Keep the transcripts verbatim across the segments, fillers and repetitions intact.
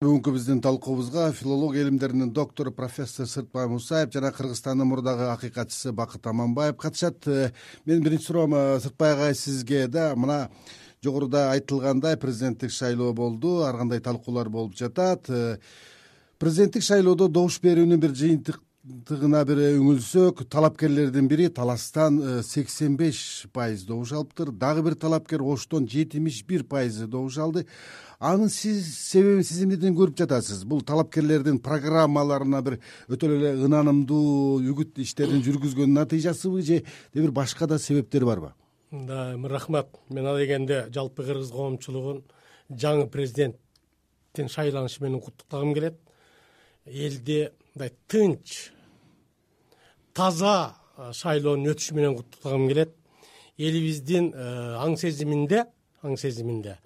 Бүгүнкү биздин талкуубузга филология илимдеринин доктору профессор Сыртбай Мусаев жана Кыргызстандын мурдагы акыйкатчысы Бакыт Аманбаев катышат. Менин биринчи суроом Сыртбай агай сизге да. Мына жогоруда айтылгандай президенттик шайлоо болду, ар кандай талкуулар болуп жатат. Президенттик шайлоодо добуш берүүнүн бир жыйынтыгына бир үңүлсөк, талапкерлердин бири Таластан сексен беш пайыз добуш алыптыр. Дагы бир талапкер Оштон жетимиш бир пайыз добуш алды. Анын сиз себебин сиз эмнеден көрүп жатасыз? Бул талапкерлердин программаларына бир өтө эле ынанымдуу үгүт иштерин жүргүзгөнүн натыйжасыбы же бир башка да себептери барбы? Да, рахмат. Мен ал дегенде жалпы кыргыз коомчулугун жаңы президенттин шайланышы менен куттуктагым келет. Элди мындай тынч, таза шайлоонун өтүшү менен куттуктагым келет. Элибиздин аң сезиминде, аң сезиминде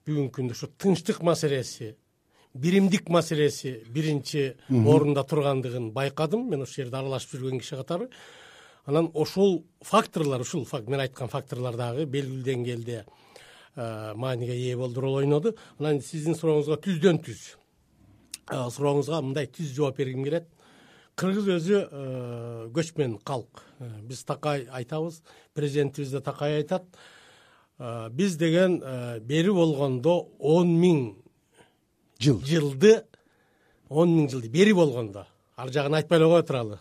бүгүнкү күндө ушу тынчтык маселеси, биримдик маселеси биринчи орунда тургандыгын байкадым. Мен ошол жерде аралашып жүргөн киши катары. Анан ошол факторлор, ушул мен айткан факторлор дагы белгилүү деңгээлде мааниге ээ болду, роль ойноду. Анан сиздин сурооңузга түздөн түз сурооңузга мындай түз жооп бергим келет. Кыргыз өзү көчмөн калк. Биз такай айтабыз, президентибиз да такай айтат. Биз деген бери болгондо он миң жыл жылды он миң жылды бери болгондо, ар жагын айтпай эле кое туралы.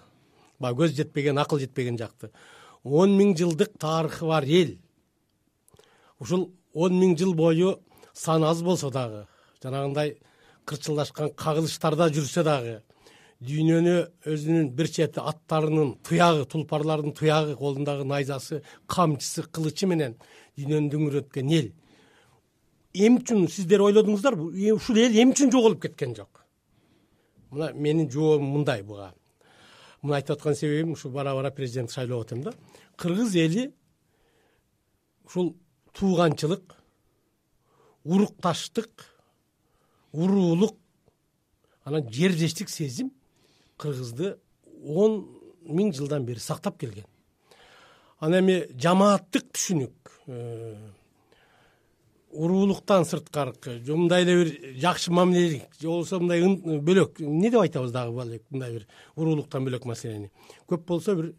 Баягы көз жетпеген, акыл жетпеген жакты. он миң жылдык тарыхы бар эл. Ушул он миң жыл бою сан аз болсо дагы, жанагындай кырчылдашкан кагылыштарда жүрсө дагы, дүйнөнү өзүнүн бир чети аттарынын туягы, тулпарлардын туягы, колундагы найзасы, камчысы, кылычы менен дүйнөнү дүңүрөткөн эл. Эми үчүн сиздер ойлодуңуздарбы? Ушул эл эми үчүн жоголуп кеткен жок? Мына менин жообум мындай буга. Муну айтып аткан себебим ушу бара-бара президент шайлоо өтөм да. Кыргыз эли ушул тууганчылык, урукташтык, уруулук, анан жердештик сезим кыргызды он миң жылдан бери сактап келген. Анан эми жамааттык түшүнүк, уруулуктан сырткаркы, мындай эле бир жакшы мамилелик, же болбосо мындай бөлөк, эмне деп айтабыз дагы мындай бир уруулуктан бөлөк маселени. Көп болсо бир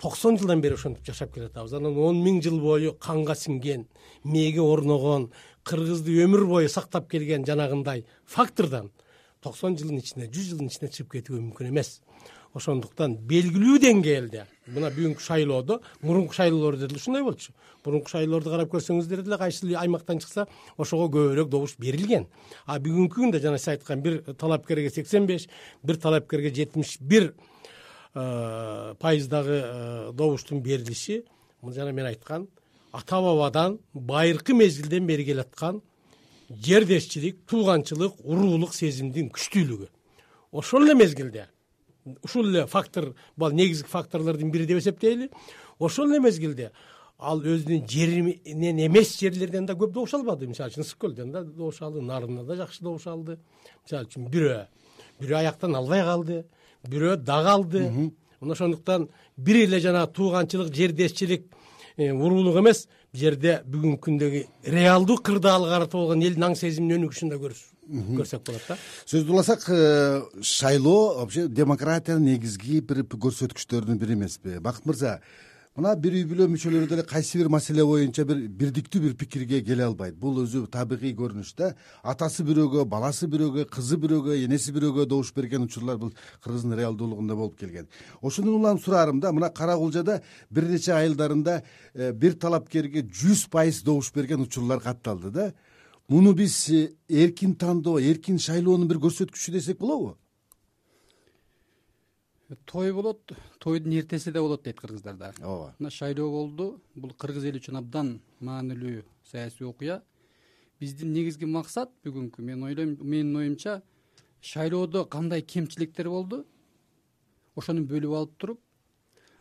токсон жылдан бери ошентип жашап келатабыз. Анан он миң жыл бою канга сиңген, мээге орногон, кыргызды өмүр бою сактап келген жанагындай фактордон токсон жылдын ичинде, жүз жылдын ичинде чыгып кетүү мүмкүн эмес. Ошондуктан белгилүү деңгээлде мына бүгүнкү шайлоодо, мурунку шайлоолордо деле ушундай болчу. Мурунку шайлоолорду карап көрсөңүздөр деле кайсы аймактан чыкса, ошого көбүрөөк добуш берилген. А бүгүнкү күндө жана сиз айткан бир талапкерге сексен беш, бир талапкерге жетимиш бир пайыздагы добуштун берилиши, жана мен айткан ата бабадан байыркы мезгилден бери келаткан жердешчилик, тууганчылык, уруулук сезимдин күчтүүлүгү. Ошол эле мезгилде ушул эле фактор, бул негизги факторлордун бири деп эсептейли. Ошол эле мезгилде ал өзүнүн жеринен эмес жерлерден да көп добуш албады. Мисалы үчүн Ысык көлдөн да добуш алды, Нарында да жакшы добуш алды. Мисалы үчүн бирөө, бирөө аяктан албай калды, бирөө дагы алды. Ошондуктан бир эле жана тууганчылык, жердешчилик, уруулук эмес, бул жерде бүгүнкү күндөгү реалдуу кырдаалга карата болгон элдин аң сезиминин өнүгүшүн да көрсөк болот да. Сөздү уласак, шайлоо вообще демократиянын негизги бир көрсөткүчтөрүнүн бири эмеспи? Бакыт мырза, мына бир үй бүлө мүчөлөрү деле кайсы бир маселе боюнча бир бирдиктүү бир пикирге келе албайт. Бул өзү табигый көрүнүш да. Атасы бирөөгө, баласы бирөөгө, кызы бирөөгө, энеси бирөөгө добуш берген учурлар бул Кыргыздын реалдуулугунда болуп келген. Ошондон улам сураарым да, мына Кара-Кулжада бир нече айылдарында бир талапкерге жүз пайыз добуш берген учурлар катталды да. Муну биз эркин тандоо, эркин шайлоонун бир көрсөткүчү десек болобу? Той болот, тойдун эртеси да болот дейт кыргыздарда. Ооба. Мына шайлоо болду. Бул кыргыз эли үчүн абдан маанилүү саясий окуя. Биздин негизги максат бүгүнкү, мен ойлойм, менин оюмча, шайлоодо кандай кемчиликтер болду, ошону бөлүп алып туруп,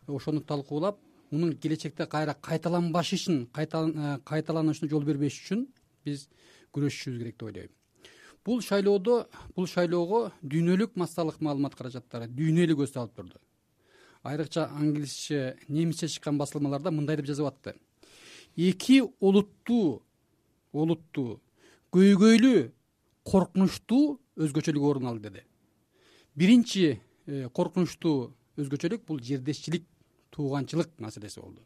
ошону талкуулап, мунун келечекте кайра кайталанбашын, кайталанышына жол бербеш үчүн биз күрөшүшүбүз керек деп ойлойм. Бул шайлоодо, бул шайлоого дүйнөлүк массалык маалымат каражаттары дүйнөлүк көз салып турду. Айрыкча англисче, немисче чыккан басылмаларда мындай деп жазып атты. Эки олуттуу, олуттуу, көйгөйлүү, коркунучтуу өзгөчөлүк орун алды деди. Биринчи коркунучтуу өзгөчөлүк бул жердешчилик, тууганчылык маселеси болду.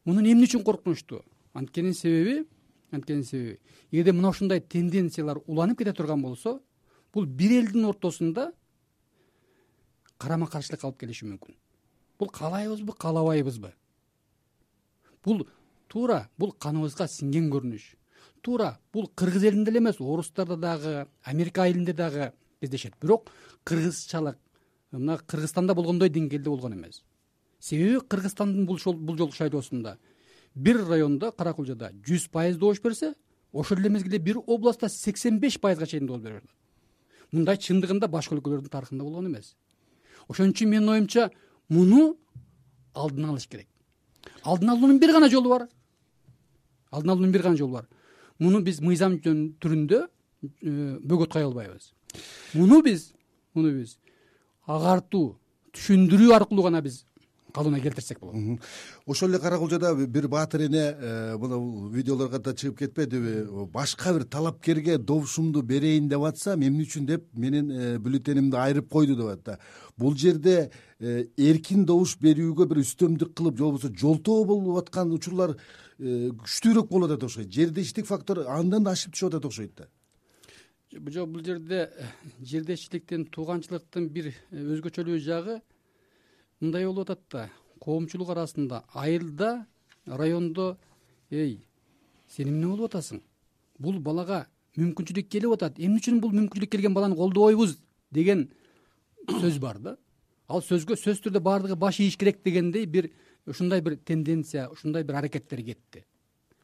Мунун эмне үчүн коркунучтуу? Анткенин себеби, анткенин себеби, эгерде мына ушундай тенденциялар уланып кете турган болсо, бул бир элдин ортосунда карама-каршылык алып келиши мүмкүн. Бул каалайбызбы, каалабайбызбы? Бул туура бул каныбызга сиңген көрүнүш. Туура бул кыргыз элинде эле эмес, орустарда дагы, Америка элинде дагы кездешет. Бирок кыргызчалык мына Кыргызстанда болгондой деңгээлде болгон эмес. Себеби Кыргызстандын бул бул жолку шайлоосунда бир райондо Каракулжада жүз пайыз добуш берсе, ошол эле мезгилде бир областта сексен беш пайызга чейин добуш берет. Мындай чындыгында башка өлкөлөрдүн тарыхында болгон эмес. Ошон үчүн менин оюмча муну алдын алыш керек. Алдын алуунун бир гана жолу бар. Алдын алуунун бир гана жолу бар. Муну биз мыйзам түрүндө бөгөт кая албайбыз. Муну биз, муну биз агартуу, түшүндүрүү аркылуу гана биз калыбына келтирсек болот. Ошол эле Каракулжада бир баатыр эне мына видеолорго да чыгып кетпедиби? Башка бир талапкерге добушумду берейин деп атсам, эмне үчүн деп менин бюллетенимди айырып койду деп атат да. Бул жерде эркин добуш берүүгө бир үстөмдүк кылып, же болбосо жолтоо болуп аткан учурлар күчтүүрөөк болуп атат окшойт. Жердештик фактор андан да ашып түшүп атат окшойт да. Жок, бул жерде жердешчиликтин, тууганчылыктын бир өзгөчөлүү жагы мындай болуп атат да. Коомчулук арасында айылда, райондо, эй, сен эмне болуп атасың? Бул балага мүмкүнчүлүк келип атат. Эмне үчүн бул мүмкүнчүлүк келген баланы колдобойбуз деген сөз бар да. Ал сөзгө сөз түрдө баардыгы баш ийиш керек дегендей бир ушундай бир тенденция, ушундай бир аракеттер кетти.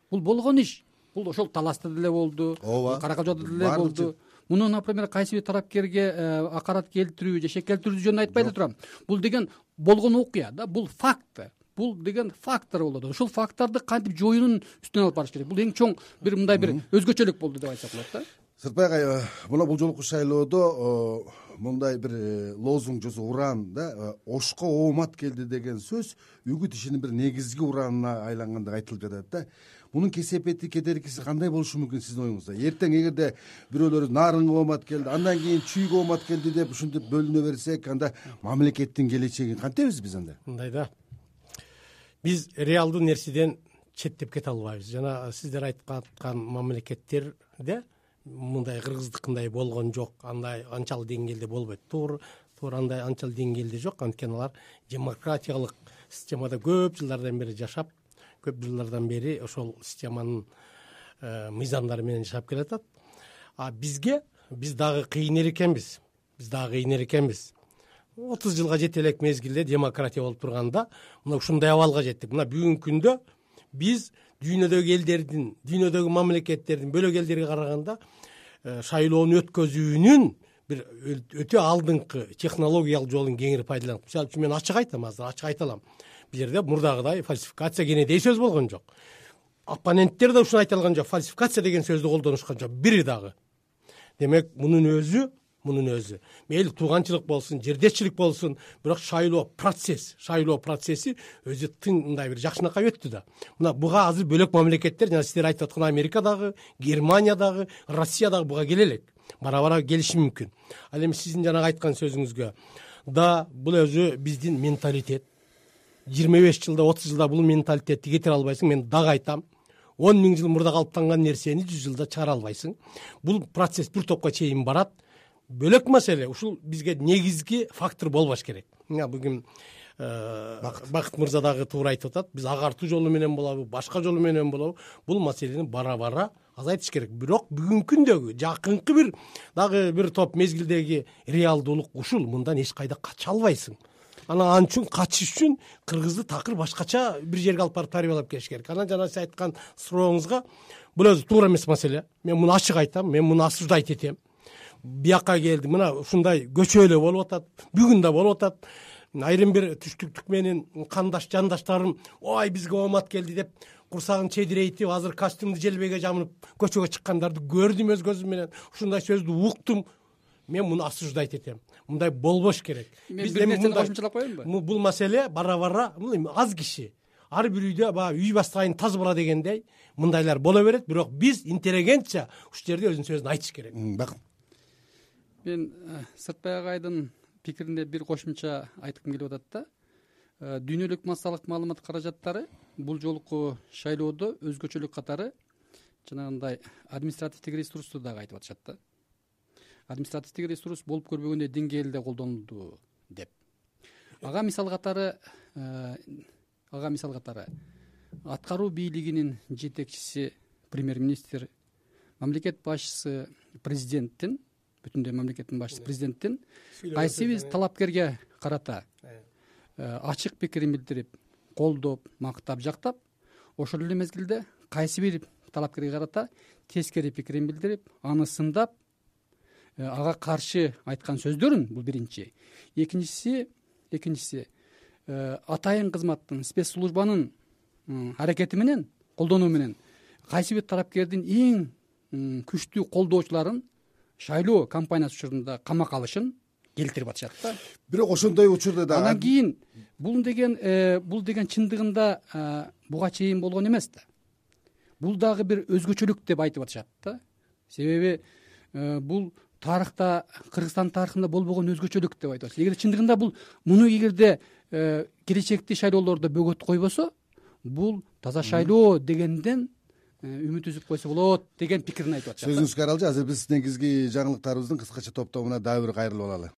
Бул болгон иш. Бул ошол Таласта деле болду, Каракулжада деле болду. Муну, например, кайсы бир тарапкерге акарат келтирүү же шек келтирүү жөнүндө айтпай эле турам. Бул деген болгон окуя да, бул факт. Бул деген фактор болот. Ошол факторду кантип жоюунун үстүнө алып барыш керек. Бул эң чоң бир мындай бир өзгөчөлүк болду деп айтсак болот да. Сыртбай агай, мына бул жолку шайлоодо мындай бир лозунг жосо уран да, ошко оомат келди деген сөз үгүт ишинин бир негизги уранына айланган деп айтылып жатат да. Мунун кесепети, кедеркиси кандай болушу мүмкүн сиздин оюңузда? Эртең эгерде бирөөлөр нарынга оомат келди, андан кийин чүйгө оомат келди деп ушинтип бөлүнө берсек, анда мамлекеттин келечегин кантебиз биз анда? Мындай да. Биз реалдуу нерседен четтеп кете албайбыз. Жана сиздер айткан мамлекеттерде мындай кыргыздыкындай болгон жок, андай анчалык деңгээлде болбойт. Туура, туура андай анчалык деңгээлде жок. Анткени алар демократиялык системада көп жылдардан бери жашап, көп жылдардан бери ошол системанын мыйзамдары менен жашап келатат. А бизге биз дагы кыйыныр экенбиз. Биз дагы кыйыныр экенбиз. отуз жылга жете элек мезгилде демократия болуп турганда, мына ушундай абалга жеттик. Мына бүгүнкү күндө биз дүйнөдөгү элдердин, дүйнөдөгү мамлекеттердин, бөлөк элдерге караганда шайлоону өткөзүүнүн бир өтө алдыңкы технологиялык жолун кеңири пайдаланып. Мисалы үчүн мен ачык айтам, азыр ачык айта алам. Бул жерде мурдагыдай фальсификация кенедей сөз болгон жок. Оппоненттер да ушуну айта алган жок. Фальсификация деген сөздү колдонушкан жок. Бири дагы. Демек, мунун өзү, мунун өзү мейли тууганчылык болсун, жердешчилик болсун, бирок шайлоо процесс, шайлоо процесси өзү тың мындай бир жакшынакай өттү да. Мына буга азыр бөлөк мамлекеттер, жана сиздер айтып аткан Америкадагы, Германиядагы, Россиядагы буга келе элек. Бара-бара келиши мүмкүн. Ал эми сиздин жанагы айткан сөзүңүзгө да бул өзү биздин менталитет. жыйырма беш жылда, отуз жылда бул менталитетти кетире албайсың. Мен дагы айтам. он миң жыл мурда калыптанган нерсени жүз жылда чыгара албайсың. Бул процесс бир топко чейин барат. Бөлөк маселе, ушул бизге негизги фактор болбош керек. Мына бүгүн Бакыт мырза дагы туура айтып атат. Биз агартуу жолу менен болобу, башка жолу менен болобу, бул маселени бара-бара азайтыш керек. Бирок бүгүнкү күндөгү жакынкы бир дагы бир топ мезгилдеги реалдуулук ушул. Мындан эч кайда кача албайсың. Ана ан үчүн качыш үчүн кыргызды такыр башкача бир жерге алып барып тарбиялап келиш керек. Анан жана сиз айткан сурооңузга бул өзү туура эмес маселе. Мен муну ачык айтам, мен муну осуждать этем. Бияка келди, мына ушундай көчө эле болуп атат, бүгүн да болуп атат. Айрым бир түштүктүк менен кандаш жандаштарым, ой бизге оомат келди деп курсагын чедирейтип, азыр костюмду желбеге жамынып көчөгө чыккандарды көрдүм өз көзүм менен. Ушундай сөздү уктум. Мен муну осуждать этем. Мындай болбош керек. Биз бир нерсени кошумчалап коеюнбу? Бул маселе бара-бара аз киши, ар бир үйдө баягы үй баштайын таз бала дегендей мындайлар боло берет, бирок биз интеллигентча ушул жерде өзүнүн сөзүн айтыш керек. Бакыт. мен Сыртбай агайдын пикирине бир кошумча айткым келип атат да. Дүйнөлүк массалык маалымат каражаттары бул жолку шайлоодо өзгөчөлүк катары жанагындай административдик ресурсту дагы айтып атышат да. Административдик ресурс болуп көрбөгөндөй деңгээлде колдонулду деп. Ага мисал катары ага мисал катары аткаруу бийлигинин жетекчиси премьер-министр, мамлекет башчысы президенттин, бүтүндөй мамлекеттин башчысы президенттин кайсы бир талапкерге карата ачык пикирин билдирип, колдоп, мактап, жактап, ошол эле мезгилде кайсы бир талапкерге карата тескери пикирин билдирип, аны сындап, ага каршы айткан сөздөрүн, бул биринчи. Экинчиси, экинчиси атайын кызматтын, спецслужбанын аракети менен, колдонуу менен кайсы бир талапкердин эң күчтүү колдоочуларын шайлоо кампаниясы учурунда камакка алышын келтирип атышат да. Бирок ошондой учурда да анан кийин бул деген бул деген чындыгында буга чейин болгон эмес да. Бул дагы бир өзгөчөлүк деп айтып атышат да. Себеби бул тарыхта, Кыргызстан тарыхында болбогон өзгөчөлүк деп айтып атышат. Эгер чындыгында бул муну эгерде келечекти шайлоолордо бөгөт койбосо, бул таза шайлоо дегенден үмүт үзүп койсо болот деген пикирин айтып атышат. Сөзүңүзгө аралжы. Азыр биз негизги жаңылыктарыбыздын кыскача топтомуна дагы бир кайрылып алалы.